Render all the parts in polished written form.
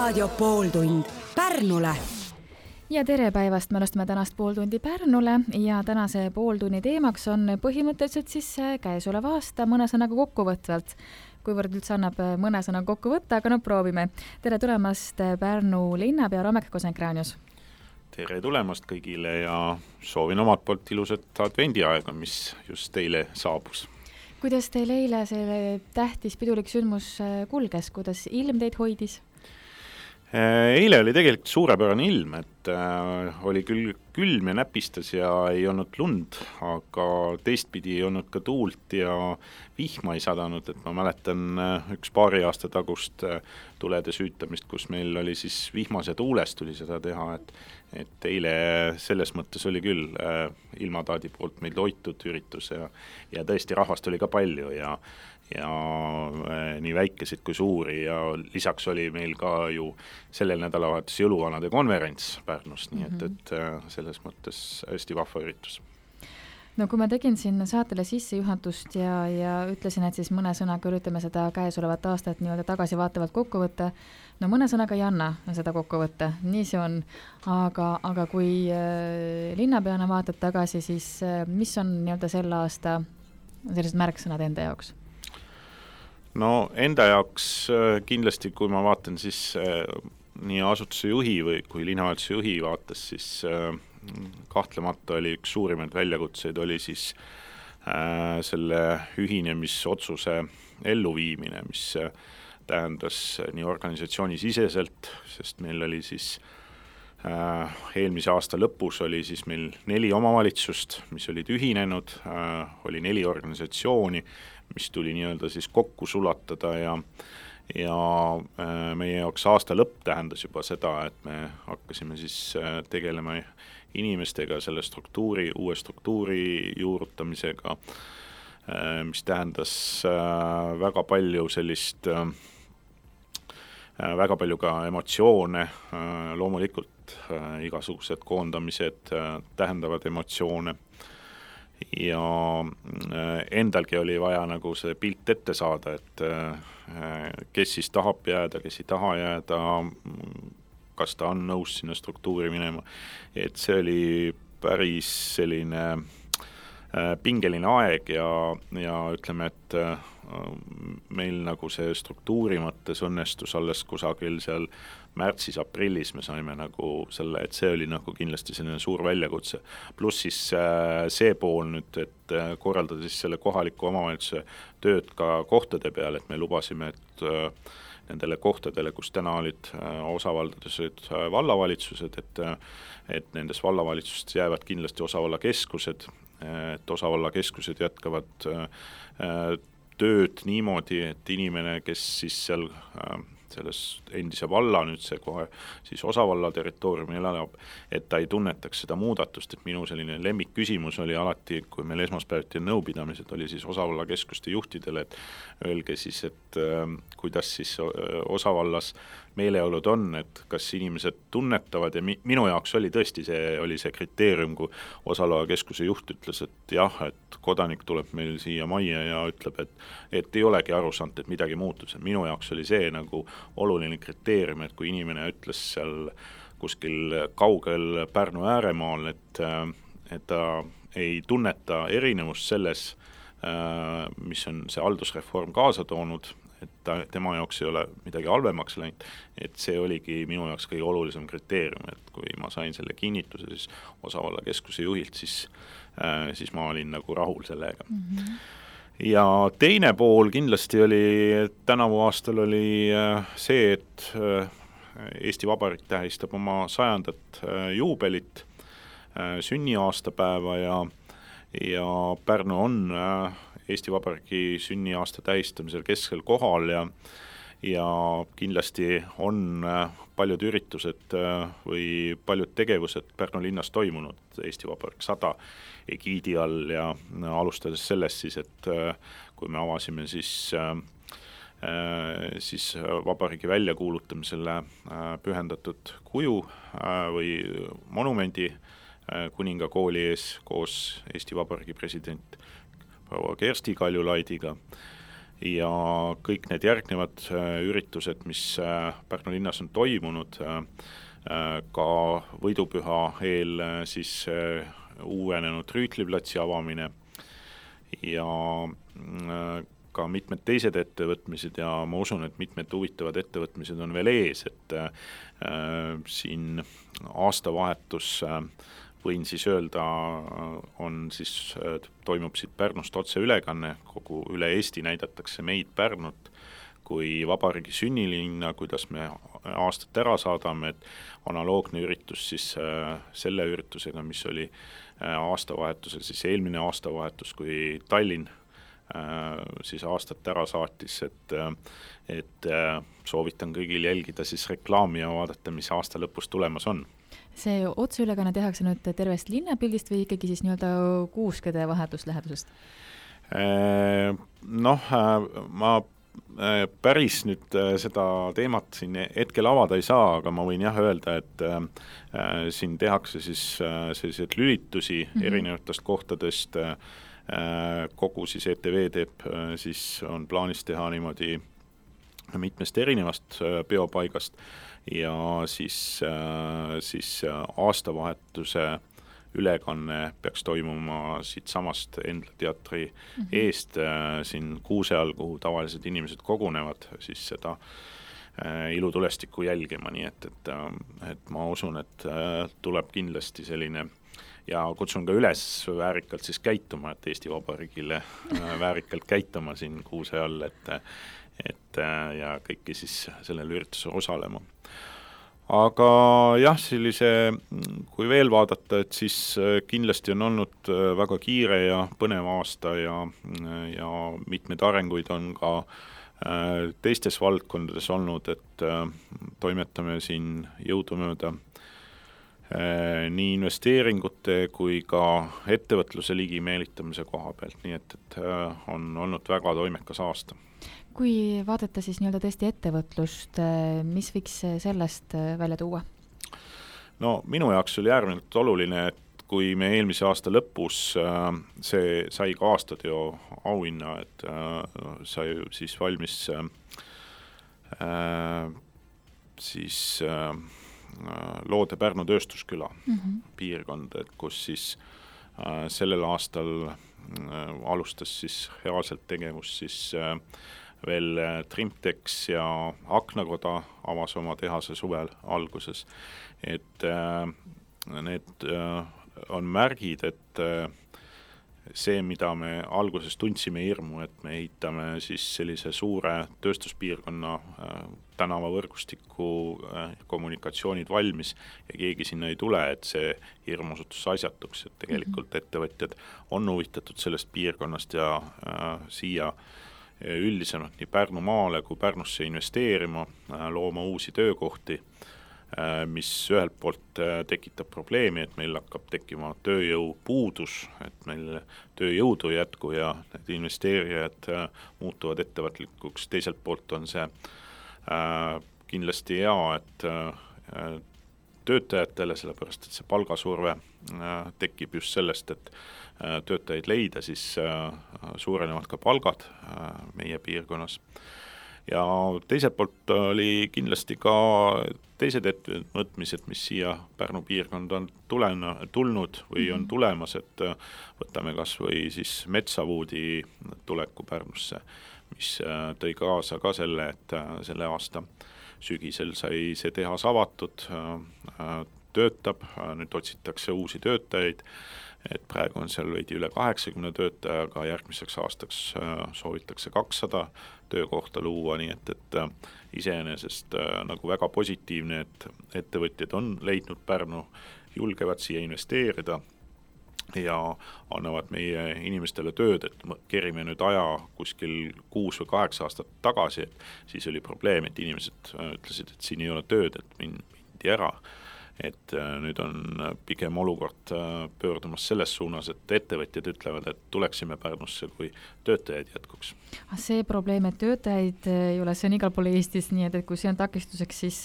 Raadio pooltund Pärnule. Ja tere päevast, me alustame tänast pooltundi Pärnule ja tänase pooltunni teemaks on põhimõtteliselt siis käesoleva aasta mõne sõnaga kokkuvõtvalt. Kuivõrd üldse annab mõne sõna kokku võtta, aga proovime. Tere tulemast Pärnu linnapea Ramek Kosenkranius. Tere tulemast kõigile ja soovin omalt poolt ilusat advendiaega, mis just teile saabus. Kuidas teil eile see tähtis pidulik sündmus kulges, kuidas ilm teid hoidis? Eile oli tegelikult suurepärane ilm, et oli küll külm ja näpistas ja ei olnud lund, aga teistpidi ei olnud ka tuult ja vihma ei sadanud, et ma mäletan üks paari aasta tagust tulede süütamist, kus meil oli siis vihmas ja tuulest tuli seda teha, et eile selles mõttes oli küll ilmataadi poolt meil toitud üritus ja tõesti rahvast oli ka palju ja nii väikesid kui suuri ja lisaks oli meil ka ju sellel nädalavahetus jõuluvanade konverents Pärnus, nii et selles mõttes hästi vahva üritus. No kui ma tegin siin saatele sissejuhatust ja ütlesin, et siis mõne sõnaga üritame seda käesolevat aastat nii-öelda tagasivaatavalt kokku võtta, no mõne sõnaga ei anna seda kokku võtta, nii see on, aga kui linnapeana vaatad tagasi, siis mis on nii-öelda selle aasta sellised märksõnad enda jaoks? No enda jaoks kindlasti, kui ma vaatan siis nii asutuse juhi või kui linnavalitsuse juhi vaates, siis kahtlemata oli üks suurimaid väljakutseid oli siis selle ühinemisotsuse elluviimine, mis tähendas nii organisatsiooni siseselt, sest meil oli siis eelmise aasta lõpus oli siis meil 4 omavalitsust, mis olid ühinenud, oli 4 organisatsiooni, mis tuli nii-öelda siis kokku sulatada ja meie jaoks aasta lõpp tähendas juba seda, et me hakkasime siis tegelema inimestega selle uue struktuuri juurutamisega, mis tähendas väga palju sellist, väga palju ka emotsioone, loomulikult igasugused koondamised tähendavad emotsioone ja endalgi oli vaja nagu see pilt ette saada, et kes siis tahab jääda, kes ei taha jääda, kas ta on nõus sinna struktuuri minema, et see oli päris selline pingeline aeg ja ütleme, et meil nagu see struktuuri mõttes õnnestus alles kusagil seal märtsis-aprillis me saime nagu selle, et see oli nagu kindlasti selline suur väljakutse. Pluss siis see pool nüüd, et korraldada siis selle kohaliku omavalitsuse tööd ka kohtade peal, et me lubasime, et nendele kohtadele, kus täna olid osavaldades vallavalitsused, et nendes vallavalitsustes jäävad kindlasti osavallakeskused, et osavallakeskused jätkavad tööd niimoodi, et inimene, kes siis seal selles endise valla nüüd see kohe siis osavalla territooriumil elab, et ta ei tunnetaks seda muudatust, et minu selline lemmikküsimus oli alati, kui meil esmaspäeviti nõupidamised oli siis osavallakeskuste juhtidele, et öelge siis, et kuidas siis osavallas meeleolud on, et kas inimesed tunnetavad ja minu jaoks oli tõesti see kriteerium, kui osavalakeskuse juht ütles, et jah, et kodanik tuleb meil siia majja ja ütleb, et ei olegi aru saanud, et midagi muutus. Minu jaoks oli see nagu oluline kriteerium, et kui inimene ütles seal kuskil kaugel Pärnu ääremaal, et ta ei tunneta erinevust selles, mis on see haldusreform kaasa toonud, et tema jaoks ei ole midagi halvemaks läinud, et see oligi minu jaoks kõige olulisem kriteerium, et kui ma sain selle kinnituse siis osavallakeskuse juhilt, siis ma olin nagu rahul sellega. Ja teine pool kindlasti oli, tänavu aastal oli see, et Eesti Vabariik tähistab oma 100. juubelit, sünniaastapäeva ja Pärnu on Eesti Vabariigi sünniaasta tähistamisel keskel kohal ja kindlasti on paljud üritused või paljud tegevused Pärnu linnas toimunud Eesti Vabariik 100 egiidi all ja alustades sellest siis, et kui me avasime siis vabariigi väljakuulutamisele pühendatud kuju või monumendi kuningakooli ees koos Eesti Vabariigi president proua Kersti Kaljulaidiga ja kõik need järgnevad üritused, mis Pärnu linnas on toimunud, ka võidupüha eel siis uuenenud Rüütliplatsi avamine ja ka mitmed teised ettevõtmised ja ma usun, et mitmed huvitavad ettevõtmised on veel ees, et siin aastavahetus võin siis öelda, toimub siit Pärnust otseülekanne, kogu üle Eesti näidatakse meid Pärnut kui vabariigi sünnilinna, kuidas me aastat ära saadame, et analoogne üritus siis selle üritusega, mis oli aastavahetusel, siis eelmine aastavahetus, kui Tallinn siis aastat ära saatis, et soovitan kõigil jälgida siis reklaami ja vaadata, mis aasta lõpus tulemas on. See otseülekanne tehakse nüüd tervest linnapildist või ikkagi siis nii-öelda kuuskede vahetuslähedusest? Ma päris nüüd seda teemat siin hetkel avada ei saa, aga ma võin öelda, et siin tehakse siis selliseid lülitusi erinevatest kohtadest, kogu siis ETV teeb, siis on plaanis teha niimoodi mitmest erinevast peopaigast ja siis aastavahetuse ülekanne peaks toimuma siit samast Endla teatri eest siin Kuuse all, kuhu tavalised inimesed kogunevad siis seda ilutulestikku jälgima, nii et ma usun, et tuleb kindlasti selline ja kutsun ka üles väärikalt siis käituma, et Eesti Vabariigile väärikalt käituma siin Kuuse all, et ja kõiki siis sellel üritusel osalema. Aga jah, kui veel vaadata, et siis kindlasti on olnud väga kiire ja põnev aasta ja mitmed arenguid on ka teistes valdkondades olnud, et toimetame siin jõudumööda nii investeeringute kui ka ettevõtluse ligi meelitamise koha pealt, nii et on olnud väga toimekas aasta. Kui vaadata siis nii-öelda tõesti ettevõtlust, mis võiks sellest välja tuua? No minu jaoks oli äärmiselt oluline, et kui me eelmise aasta lõpus, see sai ka aastatöö auhinna, et sai siis valmis siis Loode Pärnu tööstusküla piirkond, et kus siis sellel aastal alustas siis reaalselt tegevus siis veel Trimtex ja Aknakoda avas oma tehase suvel alguses, et need on märgid, et see, mida me alguses tundsime hirmu, et me ehitame siis sellise suure tööstuspiirkonna tänavavõrgustiku kommunikatsioonid valmis ja keegi sinna ei tule, et see hirm osutus asjatuks, et tegelikult ettevõtjad on huvitatud sellest piirkonnast ja siia üldisemalt nii Pärnumaale kui Pärnusse investeerima, looma uusi töökohti, mis ühelt poolt tekitab probleemi, et meil hakkab tekkima tööjõupuudus, et meil tööjõudu ei jätku ja need investeerijad muutuvad ettevõtlikuks. Teiselt poolt on see kindlasti hea, et töötajatele, sellepärast et see palgasurve tekib just sellest, et töötajaid leida, siis suurenevad ka palgad meie piirkonnas. Ja teiselt poolt oli kindlasti ka teised ettevõtmised, mis siia Pärnu piirkond on tulnud või on tulemas, et võtame kas või siis Metsavuudi tuleku Pärnusse, mis tõi kaasa ka selle, et selle aasta sügisel sai see tehas avatud, töötab, nüüd otsitakse uusi töötajaid, et praegu on seal veidi üle 80 töötaja, aga järgmiseks aastaks soovitakse 200 töökohta luua, nii et iseenesest nagu väga positiivne, et ettevõtjad on leidnud Pärnu, julgevad siia investeerida ja annavad meie inimestele tööd, et kerime nüüd aja kuskil 6 või 8 aastat tagasi, et siis oli probleem, et inimesed ütlesid, et siin ei ole tööd, et mindi ära. Et nüüd on pigem olukord pöördumas selles suunas, et ettevõtjad ütlevad, et tuleksime Pärnusse, kui töötajaid jätkuks. See probleem, et töötajaid ei ole, see on igal pool Eestis, nii et kui see on takistuseks, siis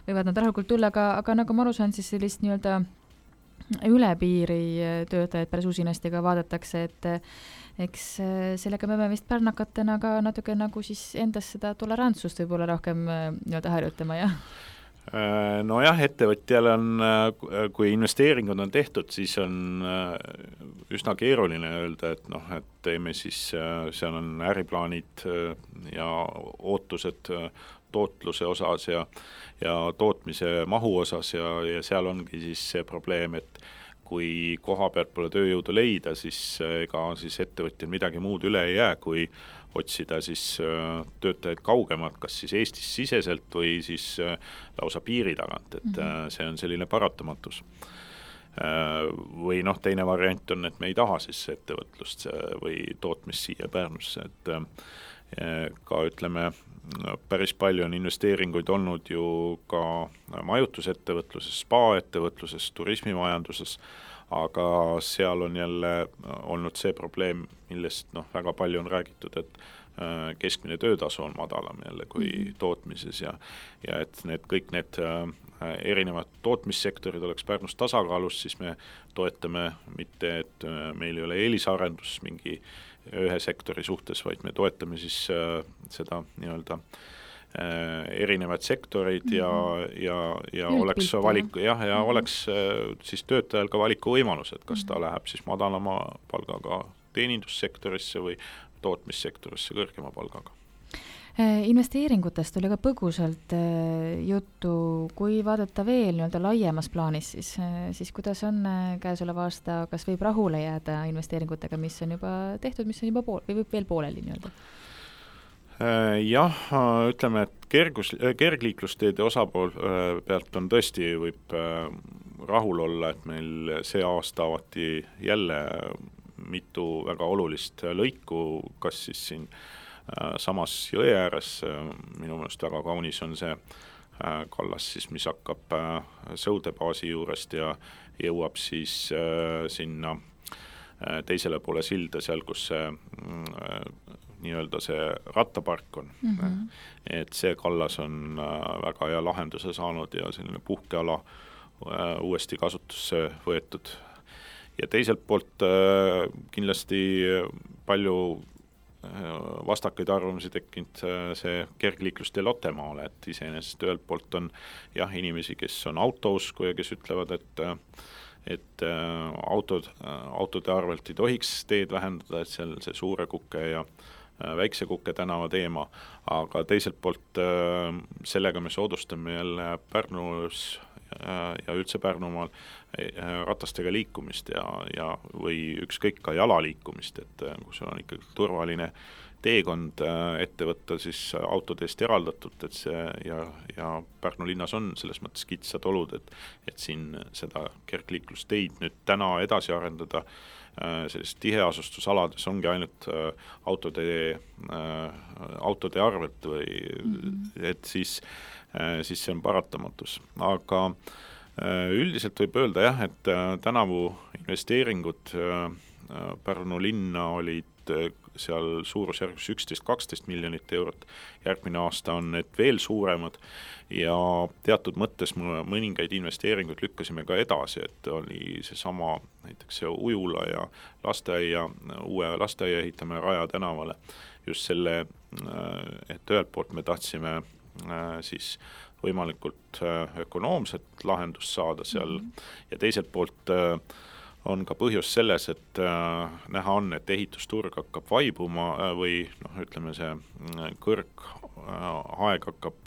võivad nad rahulikult tulla, aga nagu ma aru saan, siis sellist nii-öelda üle piiri töötajaid päris usinasti ka vaadatakse, et eks sellega me peame vist pärnakatena ka natuke nagu siis endas seda tolerantsust võib-olla rohkem nii-öelda harjutama, jah? Nojah, ettevõtjal on, kui investeeringud on tehtud, siis on üsna keeruline öelda, et et teeme siis, seal on äriplaanid ja ootused tootluse osas ja tootmise mahu osas ja seal ongi siis see probleem, et kui koha pealt pole tööjõudu leida, siis ega siis ettevõtjal midagi muud üle ei jää, kui otsida siis töötajaid kaugemalt, kas siis Eestis siseselt või siis lausa piiri tagant, et see on selline paratamatus. Või teine variant on, et me ei taha siis ettevõtlust või tootmist siia Pärnusse, et ka ütleme, päris palju on investeeringuid olnud ju ka majutusettevõtluses, spa-ettevõtluses, turismimajanduses, aga seal on jälle olnud see probleem, millest väga palju on räägitud, et keskmine töötasu on madalam jälle kui tootmises ja et kõik need erinevad tootmissektorid oleks Pärnus tasakaalus, siis me toetame mitte, et meil ei ole eelisarendus mingi ühe sektori suhtes, vaid me toetame siis seda nii-öelda erinevad sektorid ja oleks valiku, ja oleks siis töötajal ka valikuvõimalus, et kas ta läheb siis madalama palgaga teenindussektorisse või tootmissektorisse kõrgema palgaga. Investeeringutest oli ka põgusalt juttu, kui vaadata veel nii-öelda laiemas plaanis, siis kuidas on käesoleva aasta, kas võib rahule jääda investeeringutega, mis on juba tehtud, mis on juba või võib veel pooleli nii-öelda? Jah, ütleme, et kergliiklusteede osapool pealt on tõesti võib rahul olla, et meil see aasta avati jälle mitu väga olulist lõiku, kas siis siin samas jõe ääres, minu meelest väga kaunis on see kallas siis, mis hakkab Sõudebaasi juurest ja jõuab siis sinna teisele poole silda, seal kus see nii-öelda see rattapark on. Et see kallas on väga hea lahenduse saanud ja selline puhkeala uuesti kasutusse võetud. Ja teiselt poolt kindlasti palju vastakaid arvamusi tekkinud see kergliiklustee Lottemaale, et iseenesest ühelt poolt on jah inimesi, kes on autousku ja kes ütlevad, et autode arvelt ei tohiks teed vähendada, et seal see Suure Kuke ja Väikse Kuke tänava teema, aga teiselt poolt sellega me soodustame jälle Pärnus ja üldse Pärnumaal ratastega liikumist ja või ükskõik ka jalaliikumist, et kus on ikkagi turvaline teekond ette võtta siis autodest eraldatud, et see ja Pärnu linnas on selles mõttes kitsad olud, et siin seda kergliiklusteid nüüd täna edasi arendada sellist tiheasustusalades ongi ainult autode arvelt või et siis see on paratamatus. Aga üldiselt võib öelda jah, et tänavu investeeringud Pärnu linna olid seal suurusjärgus 11-12 miljonit eurot, järgmine aasta on need veel suuremad ja teatud mõttes mõningaid investeeringuid lükkasime ka edasi, et oli seesama näiteks see ujula ja lasteaia, uue lasteaia ehitame Raja tänavale, just selle, et ühelt poolt me tahtsime siis võimalikult ökonoomset lahendust saada seal ja teiselt poolt on ka põhjus selles, et näha on, et ehitusturg hakkab vaibuma või ütleme see kõrgaeg hakkab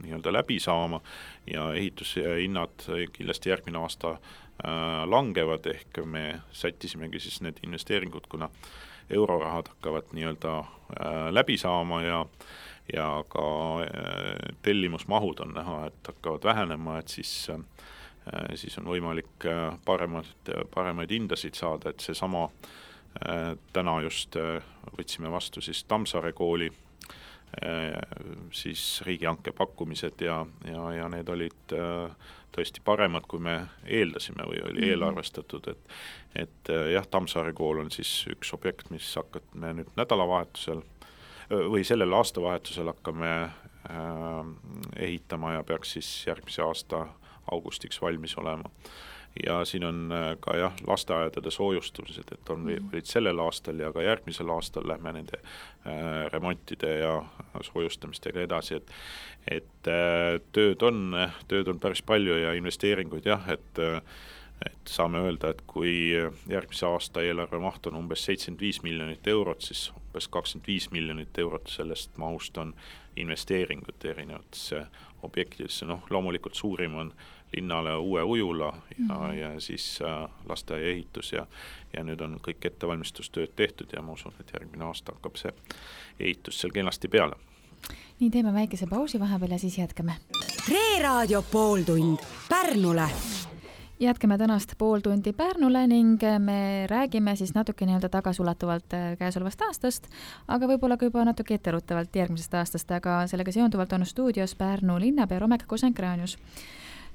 nii-öelda läbi saama ja ehitushinnad kindlasti järgmine aasta langevad, ehk me sättisimegi siis need investeeringud, kuna eurorahad hakkavad nii-öelda läbi saama ja ka tellimusmahud on näha, et hakkavad vähenema, et siis on võimalik paremaid hindasid saada, et see sama täna just võtsime vastu siis Tammsaare kooli siis riigihanke pakkumised ja need olid tõesti paremad, kui me eeldasime või oli eelarvestatud, et jah, Tammsaare kool on siis üks objekt, mis hakkame nüüd nädalavahetusel või sellel aastavahetusel hakkame ehitama ja peaks siis järgmise aasta augustiks valmis olema. Ja siin on ka lasteaedade soojustamised, et olid sellel aastal ja ka järgmisel aastal lähme nende remontide ja soojustamistega edasi, et tööd on päris palju ja investeeringuid et saame öelda, et kui järgmise aasta eelarve maht on umbes 75 miljonit eurot, siis umbes 25 miljonit eurot sellest mahust on investeeringud erinevatesse objektidesse. Loomulikult suurim on linnale uue ujula ja siis lasteaia ehitus ja nüüd on kõik ettevalmistustööd tehtud ja ma usun, et järgmine aasta hakkab see ehitus seal kenasti peale. Nii, teeme väikese pausi vahepeal ja siis jätkame. Reeraadio pooltund Pärnule. Jätkame tänast pool tundi Pärnule ning me räägime siis natuke tagasiulatuvalt käesolevast aastast, aga võib-olla ka juba natuke etteruttavalt järgmisest aastast, aga sellega seonduvalt on stuudios Pärnu linnapea Romeka Kosenkranius.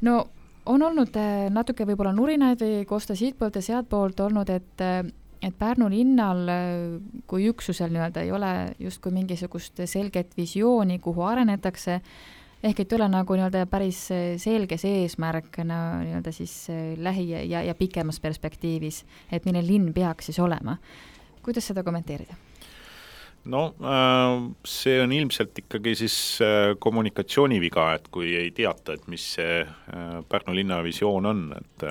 No on olnud natuke võib-olla nurinaid või kosta siitpoolt ja sealtpoolt olnud, et Pärnu linnal kui üksusel ei ole justkui mingisugust selget visiooni, kuhu arenetakse, ehk et ei ole nagu päris selge see eesmärk siis lähi- ja pikemas perspektiivis, et milline linn peaks siis olema. Kuidas seda kommenteerida? See on ilmselt ikkagi siis kommunikatsiooniviga, et kui ei teata, et mis see Pärnu linna visioon on, et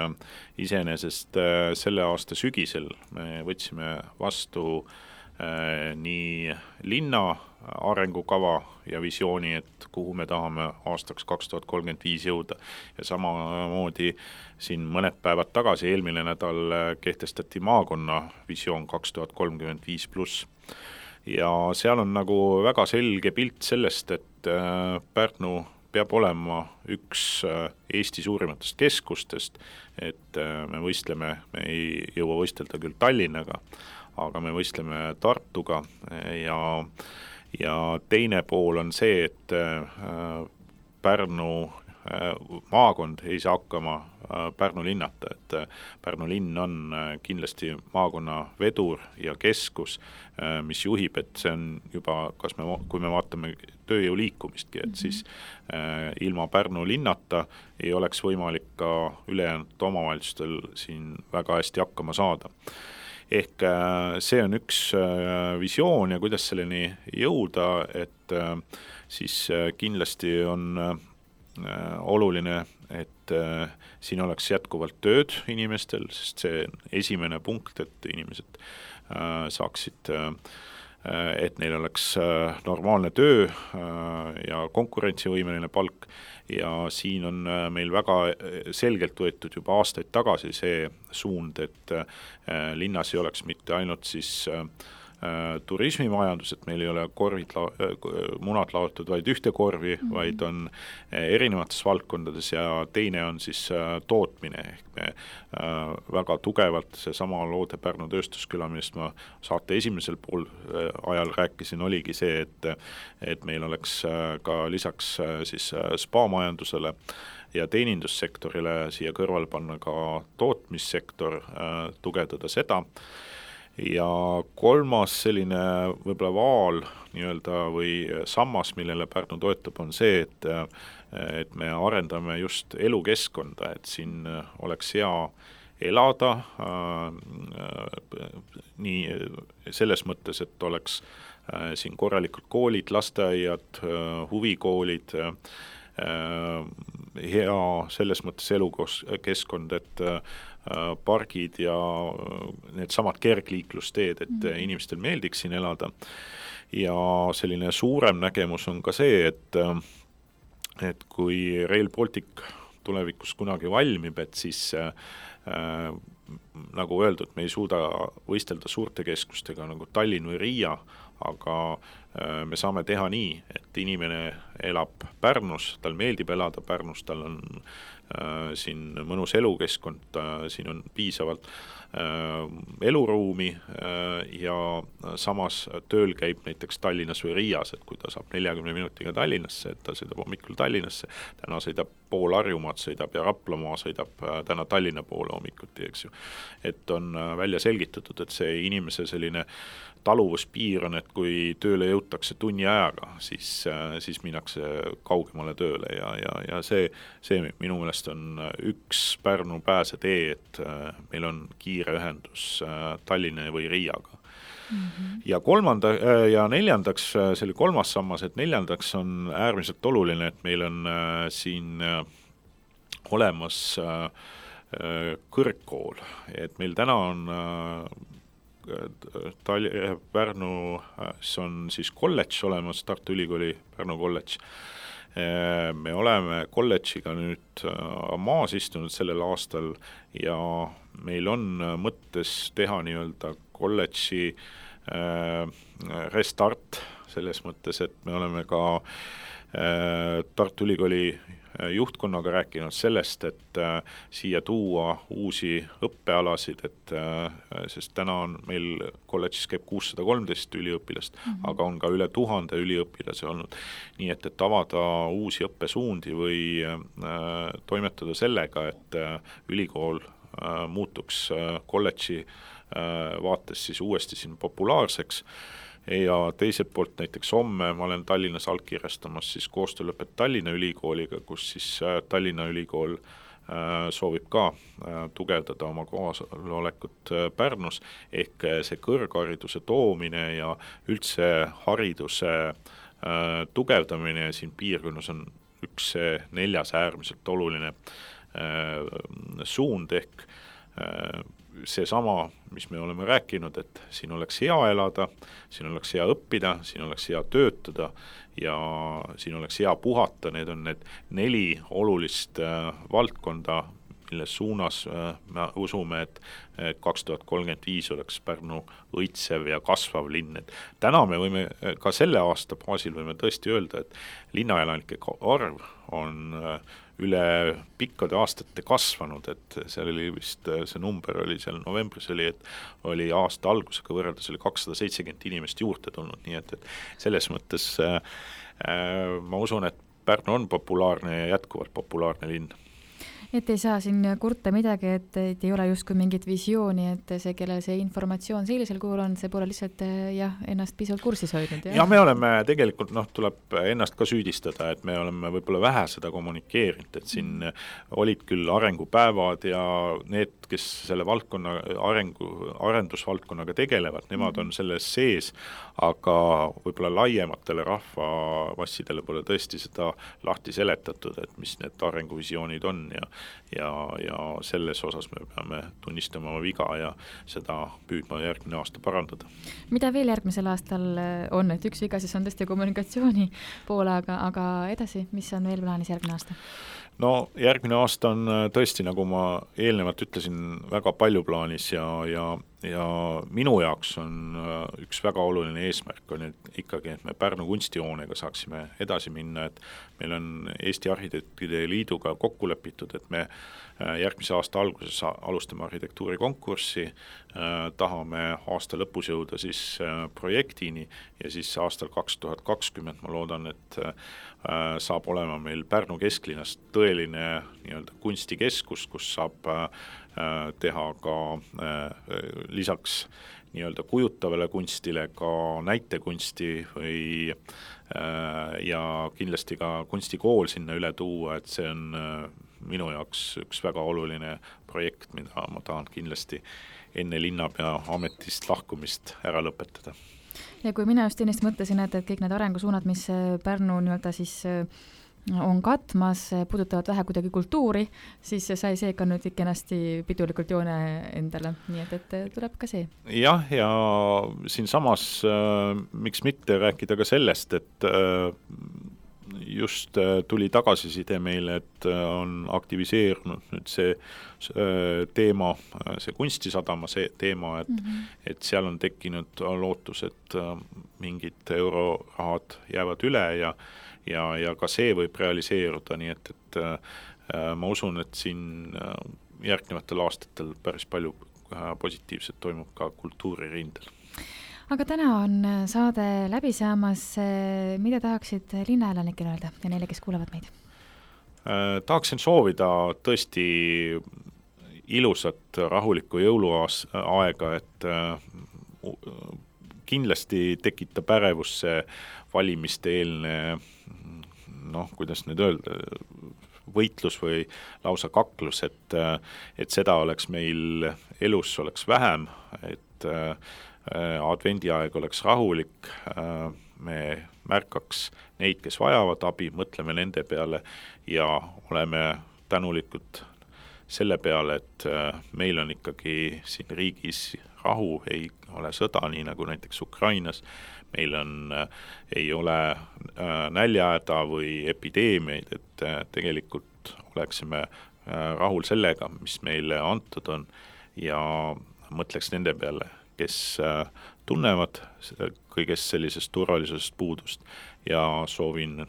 iseenesest selle aasta sügisel me võtsime vastu nii linna arengukava ja visiooni, et kuhu me tahame aastaks 2035 jõuda. Ja samamoodi siin mõned päevad tagasi, eelmine nädal kehtestati maakonna visioon 2035+. Ja seal on nagu väga selge pilt sellest, et Pärnu peab olema üks Eesti suurimatest keskustest, et me ei jõua võistelda küll Tallinnaga, aga me võistleme Tartuga ja teine pool on see, et Pärnu maakond ei saa hakkama Pärnu linnata, et Pärnu linn on kindlasti maakonna vedur ja keskus, mis juhib, et see on juba, kui me vaatame tööjõu liikumistki, et siis ilma Pärnu linnata ei oleks võimalik ka ülejäänud omavalitsustel siin väga hästi hakkama saada. Ehk see on üks visioon ja kuidas selleni jõuda, et siis kindlasti on oluline, et siin oleks jätkuvalt tööd inimestel, sest see on esimene punkt, et inimesed saaksid, et neil oleks normaalne töö ja konkurentsivõimeline palk. Ja siin on meil väga selgelt võetud juba aastaid tagasi see suund, et linnas ei oleks mitte ainult siis turismimajandus, et meil ei ole munad laotud vaid ühte korvi, vaid on erinevates valdkondades ja teine on siis tootmine. Ehk me väga tugevalt seesama Loode Pärnu tööstusküla, millest ma saate esimesel pool ajal rääkisin, oligi see, et meil oleks ka lisaks siis spa-majandusele ja teenindussektorile siia kõrval panna ka tootmissektor, tugevdada seda. Ja kolmas selline võib-olla vaal või sammas, millele Pärnu toetab, on see, et me arendame just elukeskkonda, et siin oleks hea elada, nii selles mõttes, et oleks siin korralikud koolid, lasteaiad, huvikoolid, hea selles mõttes elukeskkond, et pargid ja need samad kergliiklusteed, et inimestel meeldiks siin elada. Ja selline suurem nägemus on ka see, et kui Rail Baltic tulevikus kunagi valmib, et siis nagu öeldud, me ei suuda võistelda suurte keskustega nagu Tallinn või Riia, aga me saame teha nii, et inimene elab Pärnus, tal meeldib elada Pärnus, tal on siin mõnus elukeskkond, siin on piisavalt eluruumi ja samas tööl käib näiteks Tallinnas või Riias, et kui ta saab 40 minutiga Tallinnasse, et ta sõidab hommikul Tallinnasse, täna sõidab pool Harjumaad, sõidab ja Raplamaa sõidab täna Tallinna poole hommikuti, eks ju. Et on välja selgitatud, et see inimese selline taluvuspiir on, et kui tööle jõutakse tunni ajaga, siis minnakse kaugemale tööle ja see minu meelest on üks Pärnu pääsetee, et meil on kiire ühendus Tallinna või Riiaga. Ja neljandaks, see oli kolmas sammas, et neljandaks on äärmiselt oluline, et meil on siin olemas kõrgkool, et meil täna on Pärnus on siis kolledž olemas, Tartu Ülikooli Pärnu kolledž. Me oleme kolledžiga nüüd maas istunud sellel aastal ja meil on mõttes teha nii-öelda kolledži restart selles mõttes, et me oleme ka Tartu Ülikooli juhtkonnaga rääkinud sellest, et siia tuua uusi õppealasid, sest täna on meil kolledžis käib 613 üliõpilast, aga on ka üle 1000 üliõpilase olnud. Nii et avada uusi õppesuundi või toimetada sellega, et ülikool muutuks kolledži vaates siis uuesti siin populaarseks ja teiselt poolt näiteks homme ma olen Tallinnas allkirjastamas siis koostöölepet Tallinna Ülikooliga, kus siis Tallinna Ülikool soovib ka tugevdada oma kohalolekut Pärnus ehk see kõrghariduse toomine ja üldse hariduse tugevdamine siin piirkonnas on üks neljas äärmiselt oluline suund ehk seesama, mis me oleme rääkinud, et siin oleks hea elada, siin oleks hea õppida, siin oleks hea töötada ja siin oleks hea puhata, need on need 4 olulist valdkonda, mille suunas me usume, et 2035 oleks Pärnu õitsev ja kasvav linn. Et täna me võime ka selle aasta baasil võime tõesti öelda, et linnaelanike arv on üle pikkade aastate kasvanud, et seal oli vist, see number oli seal novembris oli, et oli aasta algusega võrreldes oli 270 inimest juurde tulnud, nii et selles mõttes ma usun, et Pärnu on populaarne ja jätkuvalt populaarne linn. Et ei saa siin kurta midagi, et ei ole justkui mingit visiooni, et see, kellel see informatsioon sellisel kuul on, see pole lihtsalt ennast pisalt kursis hoidnud. Ja me oleme tegelikult, tuleb ennast ka süüdistada, et me oleme võib-olla vähe seda kommunikeerinud, et siin olid küll arengupäevad ja need, kes selle valdkonna arendusvaldkonnaga tegelevad, nemad on selles sees, aga võib-olla laiematele rahvamassidele pole tõesti seda lahti seletatud, et mis need arenguvisioonid on ja selles osas me peame tunnistama oma viga ja seda püüdma järgmine aasta parandada. Mida veel järgmisel aastal on, et üks viga siis on tõesti kommunikatsiooni poole, aga edasi, mis on veel plaanis järgmine aasta? No järgmine aasta on tõesti, nagu ma eelnevalt ütlesin, väga palju plaanis ja minu jaoks on üks väga oluline eesmärk on ikkagi, et me Pärnu kunstihoonega saaksime edasi minna, et meil on Eesti Arhitektide Liiduga kokku lepitud, et me järgmise aasta alguses alustame arhitektuurikonkurssi, tahame aasta lõpus jõuda siis projektini ja siis aastal 2020 ma loodan, et saab olema meil Pärnu kesklinnas tõeline nii-öelda kunstikeskus, kus saab teha ka lisaks nii-öelda kujutavale kunstile ka näitekunsti ja kindlasti ka kunstikool sinna üle tuua, et see on minu jaoks üks väga oluline projekt, mida ma tahan kindlasti enne linnapea ametist lahkumist ära lõpetada. Ja kui mina just ennist mõtlesin, et kõik need arengusuunad, mis Pärnu nii-öelda siis on katmas, puudutavad vähe kuidagi kultuuri, siis sai see ka nüüd kenasti pidulikult joone endale, nii et tuleb ka see. Jah, ja siin samas miks mitte rääkida ka sellest, et just tuli tagasiside meile, et on aktiviseerunud nüüd see teema, see kunstisadama see teema, et seal on tekkinud lootus, et mingid eurorahad jäävad üle ja ka see võib realiseeruda, nii et ma usun, et siin järgnevatel aastatel päris palju positiivset toimub ka kultuuririndel. Aga täna on saade läbi saamas. Mida tahaksid linnaelanikele öelda ja neile, kes kuulevad meid? Tahaksin soovida tõesti ilusat rahulikku jõuluaega, et kindlasti tekitab ärevust see valimiste eelne, kuidas nüüd öelda, võitlus või lausa kaklus, et seda oleks meil elus oleks vähem, et advendiaeg oleks rahulik, me märkaks neid, kes vajavad abi, mõtleme nende peale ja oleme tänulikud selle peale, et meil on ikkagi siin riigis rahu, ei ole sõda, nii nagu näiteks Ukrainas, meil ei ole näljahäda või epideemiaid, et tegelikult oleksime rahul sellega, mis meile antud on ja mõtleks nende peale, kes tunnevad kõigest sellisest turvalisusest puudust ja soovin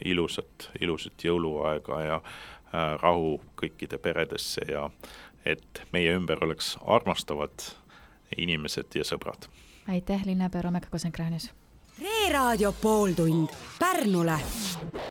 ilusat jõuluaega ja rahu kõikide peredesse ja et meie ümber oleks armastavad inimesed ja sõbrad. Aitäh, linnapea Romeka Kosenkräänius! Reeraadio pooltund Pärnule!